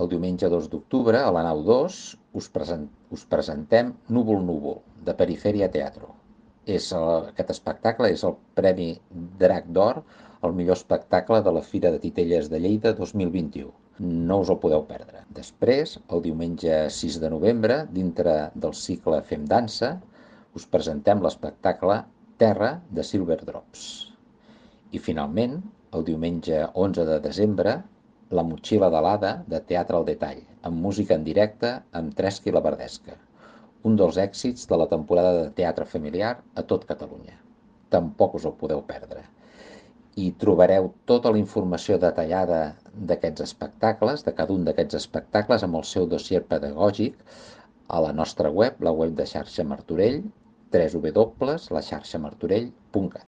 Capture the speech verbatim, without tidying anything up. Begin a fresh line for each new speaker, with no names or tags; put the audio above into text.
el diumenge dos d'octubre, a la nau dos, us, present, us presentem Núvol Núvol, de Perifèria Teatro. És el, aquest espectacle és el Premi Drac d'Or, el millor espectacle de la Fira de Titelles de Lleida dos mil vint-i-u. No us el podeu perdre. Després, el diumenge sis de novembre, dintre del cicle Fem Dansa, us presentem l'espectacle Terra de Silver Drops. I finalment, el diumenge onze de desembre, La motxilla de l'Ada, de Teatre al Detall, amb música en directe amb Tresca i la Verdesca, un dels èxits de la temporada de teatre familiar a tot Catalunya. Tampoc us el podeu perdre. I trobareu tota la informació detallada d'aquests espectacles, de cada un d'aquests espectacles, amb el seu dossier pedagògic, a la nostra web, la web de Xarxa Martorell, w w w punt la xarxa martorell punt cat.